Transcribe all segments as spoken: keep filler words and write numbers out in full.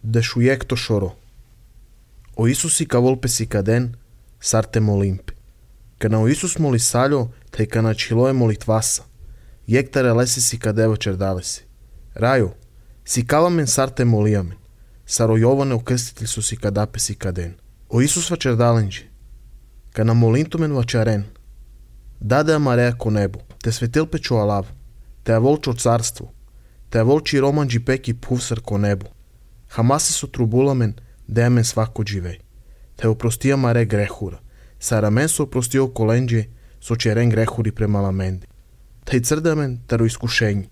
de șuiecto șoro. O Isus i ka volpe si kaden, sarte molimpe. Kana o Isus moli saljo, te kana čiloje molitvasa. Jektare lesi si kadeva čerdalesi. Rajo, si kalamen sarte molijamen. Saro Jovane ukrstitelj su si kadape si kaden. O Isus vačerdalenđi. Kana molintumen vačaren. Dade amarea ko nebu, te svetil pečo alav. Te avolčo carstvu. Te avolči romanđi peki puvsar ko nebu. Hamase su trubulamen, demen svako dživej. Te oprostija mare grehura. Saramen su oprostio kolenđe, so čeren grehuri prema lamendi. Taj crdamen taro iskušenji.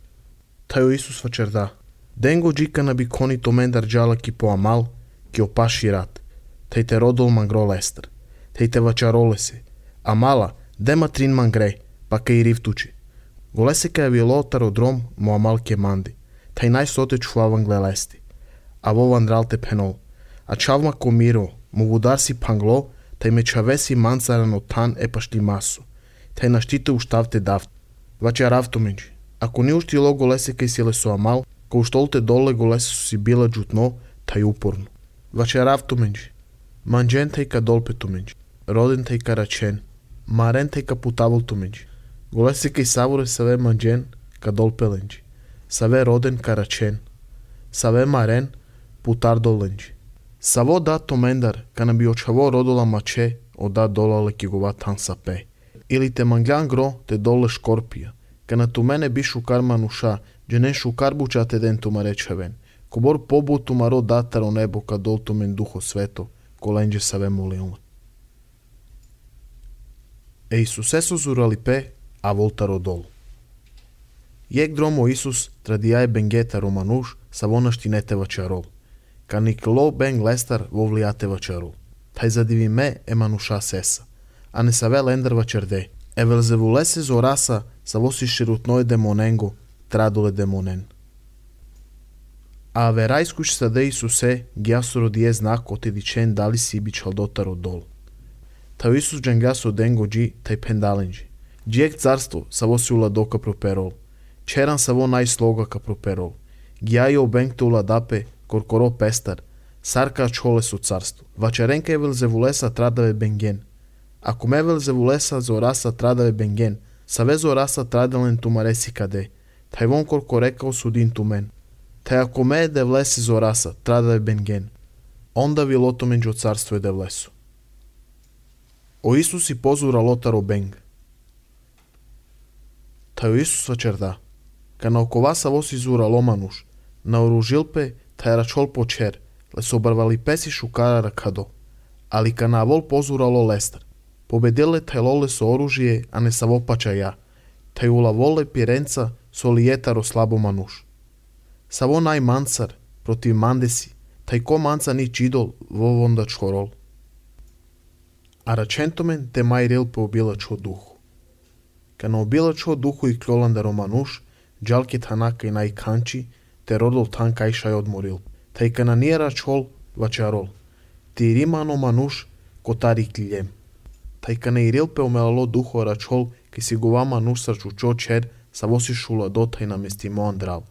Taj o Isus vačerda. Dengo džikana bi koni tomendar džala ki po amal, ki opaši rat. Taj te rodol mangro lester. Taj te vačarole se. Amala, dema trin mangre, pa ka i rivtuči. Golese ka je bilo tarodrom mo amal ke mandi. Taj najsote čuavan glelesti. A vovan dralte penol. A čavma komiro, mu vudar si panglo, taj me čavesi mancarano tan e pašti maso. Taj naštite u štavte daft. Vače ravtomenđi. Ako ni uštilo golese kaj sile su amal, ko uštolte dole golese su si bila džutno, taj uporno. Vače ravtomenđi. Manđen taj ka dolpetumenđi. Roden taj ka račen. Maren taj ka putavoltumenđi. Golese kaj savore save manđen ka dolpelenđi. Save roden ka račen. Save maren putar dolenđi. Savo da tomendar, kana bi očavo rodola mače, o da dolale ki gova tan sape. Ili te mangljan gro te dole škorpija. Kana tu mene bi šukar manuša, dženen šukar buča te den tu marečaven. Kobor pobu tu maro dataro nebo ka dol tu men duho sveto, kolenđe save molilne. E Isuse su zurali pe, a voltaro dol. Jek dromo Isus tradijaje bengeta romanuš, savona štinete vačarol. Kanik lo beng lestar vovlijate vačarol. Taj zadivi me e manuša sesa. A ne save lender vačerde. E velzevulese zorasa sa vosi širutnoj demonengo, tradole demonen. A verajskuš sade Isuse, gjasoro dije znak otedičen dali si bičal dotaro dol. Taj Isus džengaso dengo dži, taj pendalenđi. Džijek carstvo sa vosi ula doka properol. Čeran sa vo najsloga ka properol. Gjajo bengto ula dape, korkoro pestar, sarka čole su carstvo. Vačarenka je velzevulesa tradave bengen. Ako me velzevulesa zorasa tradave bengen, sa ve zorasa tradalen tu maresi kade, taj von korkorekao sudin tu men. Taj ako me de vlesi zorasa tradave bengen, onda vi loto menđo carstvo je de vlesu. O Isus i pozura lotaro beng. Taj o Isus vačerda. Kana oko vasa vosi zura lomanuš, na oružilpe taj račol počer, le su obarvali pesi šukara rakado. Ali kana vol pozuralo lestar. Pobedile taj lole so oružije, a ne sa vopača ja. Taj ula vole pirenca so lijetaro slabo manuš. Savo naj mancar, protiv mandesi, taj ko manca ni čidol, vovonda čorol. A račentomen te maj rilpe obilačo duhu. Kana obilačo duhu i klolanda romanuš, džalke tanaka i naj kanči, te rodol tan kajšaj odmoril. Taj kana nije račol, vačarol. Ti rimano manuš, kotari kljem. Taj kana i rilpe omelalo duho račol, ki si gova manuš sarčučo čer, sa vosi šula dotaj na mestimo andral.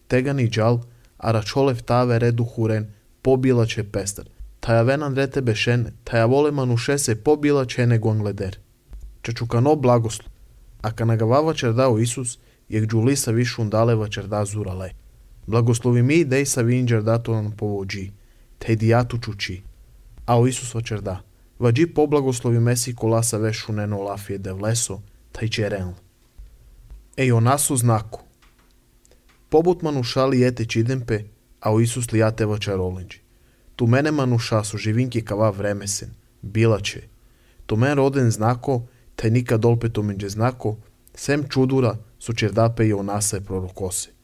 Tega ni džal, a račolev tave redu huren, pobila će pestar. Taja venan rete bešene, taja vole manuše se pobila će nego angleder. Čečukano blagoslu. A kana ga vava čerdao Isus, jek džulisa višun dale vačerda zurale. Blagoslovi mi dej sa vinđer dato nam povođi, te dijatu čuči. A o Isus vačerda. Vađi poblagoslovi mesi kolasa vešu neno lafije de vleso, taj će renl. Ej o nasu znaku. Pobut manuša lijete čidempe, a o Isus lijate vačarolenđi. Tu mene manuša su živinki kava vremesen, bila će. Tu men roden znako, taj nikad dolpet omenđe znako, sem čudura su čerdape i onase prorokose.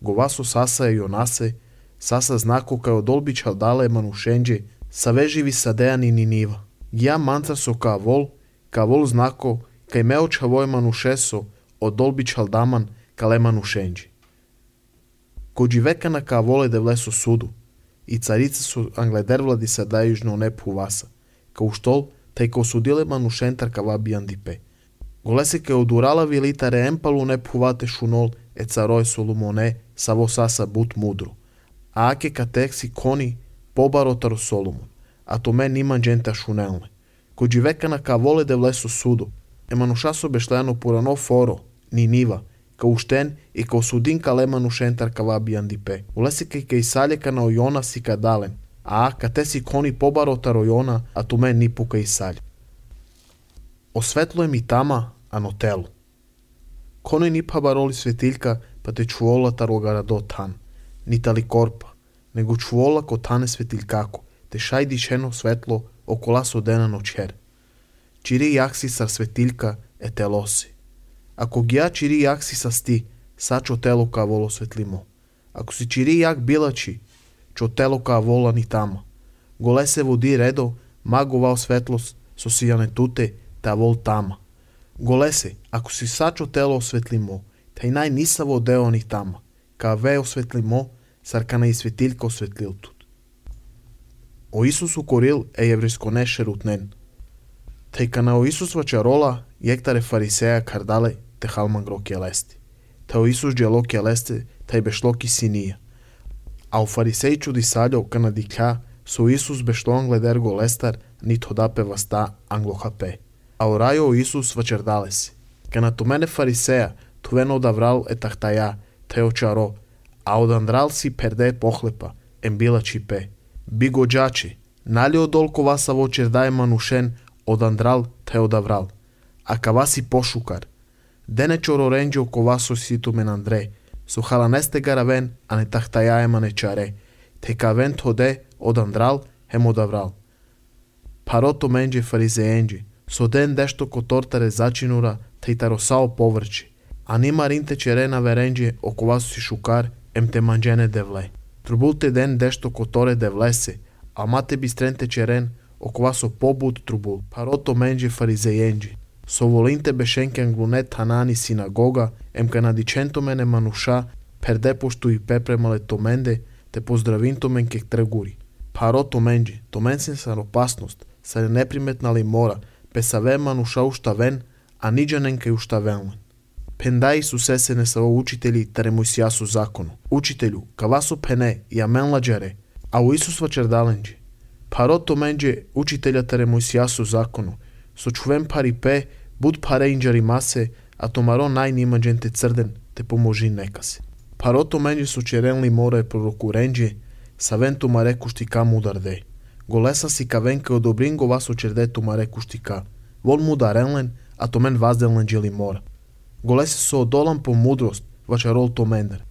Govaso sasa i onase, sasa znako kao dolbića dale manušenđe, sa veživi sadejani ni niva. Ja mancar so ka vol, ka vol znako, kaj me očavoj manušeso, od dolbićal daman, ka le manušenđi. Kođi vekana ka vole de vleso sudu, i carice su angleder vladi sadajužno nepu vasa, ka u štol, taj ka osudile manušentar ka vabijan dipe. Golese ka odurala vilitare empalu nepu vate šunol, e caroj solumone, savo sasa but mudro. A ake ka teksi koni, побаротаро Соломон, а то мен има джента шунелне. Кој живека на каволе де влесо судо, еманушасо бешлено порано форо, Нинива, ка уштен и ка осудин калема нушентар кава биандипе. Улесе кај кај салека на Ойона си кадален, а ка те си кони побаротар Ойона, а то мен ни пука и сале. Осветло е ми тама, а но тело. Коне ни пабароли светилка, па те чувола тарогарадо тан. Ни тали корпа, него чувола ко тане светилкако, те шај дишено светло окола со дена ночер. Чири јакси сар светилка е телоси. Ако гија чири јакси са сти, сачо тело ка воло светлимо. Ако си чири јак билачи, чо тело ка вола ни тама. Голе се води редо, маговал светлост, со сијане туте, та вол тама. Голе се, ако си сачо тело осветлимо, тај нај нисаво део ни тама. Ка ве осветлимо, саркана и светилка осветлилтут. О Исус укорил е еврейско неше рутнен. Тај кана о Исус вачарола, јектаре фарисеја кардале, те халман гро келести. Та о Исус джело келесте, тај бешло ки синија. А о фарисеј чуди саљо кана дикја, со Исус бешло англедер го лестар, нит hodапе васта англо хапе. А о рајо о Исус вачардале си. Кана то мене фарисеја, тувено даврал е тахтаја, те очаро, а одандрал си перде похлепа, ембила чипе. Би го джачи, нали одолко васа во чердај манушен, одандрал те одаврал. А кава си пошукар. Дене чороренджо кова со сито мен Андре, со халанесте гаравен, а не тахтаја ема не чаре. Те кавен тоде одандрал, хем одаврал. Парото менджи фаризеенджи, со ден дешто котортаре зачинура, те таросао поврчи. А нима ринте черена веренджи окова си шукар, ем те манджене девле. Трубулте ден дешто которе девлесе, а мате бистренте черен, окова со побуд трубул. Парото менджи фаризеенджи. Со волинте бешенкен глунет танани синагога, ем канадиченто мене мануша, перде пошто и пепремале томенде, те поздравинто мен кек тргури. Парото менджи, томен сен сар опасност, сар неприметнали мора, песаве мануша уштавен, а ниджанен кај уштавенлен. Пенда Исусе се не са учители таре Мојсијасу закону. Учителю, кавасо пене, ја мен ладжаре, а у Исус вачердаленджи. Парото менджи учителя таре Мојсијасу закону. Со чувен пари пе, буд паре инджари масе, а томаро нај нима дженте црден, те поможи нека се. Парото менджи со черенли мора е пророкуренджи, савен томаре куштика мударде. Голеса си кавенка одобрин го вас очерде томаре куштика. Вол мударенлен, а томен вазделен джели мора. Голесе со одолан по мудрост, вачарол томендер.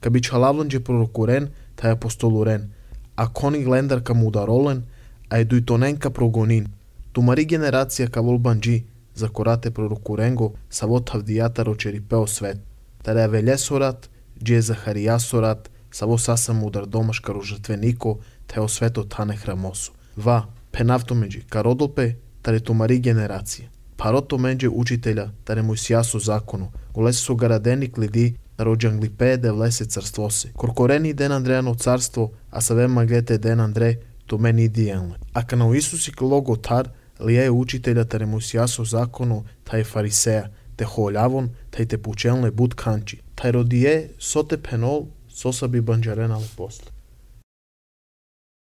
Ка би чалавлен пророкурен, тај апостолурен, а кони глендар ка мударолен, а е дујтонен ка прогонин. Тумари генерација ка вол банджи, за корате пророкуренго, са во тавдијата рочерипео свет. Таре велесорат, дже Захаријасорат, са во саса мудар домаш каро жртвенико, те освето тане храмосо. Ва, пенавто меđи, кародолпе, таре тумари генерација. Парото менджи учителя, таре Мојсијасу закону, голесе со гарадени клиди, да роđанглипе де влесе царство се. Коркорени ден Андрејано царство, а саве маглете ден Андре, то мени дијенле. А кана Исуси клого тар, лие учителя таре Мојсијасу закону, тај фарисеја, те холјавон, тај те пученле буд канчи. Тај родие со те пенол, со са би банджаренале после.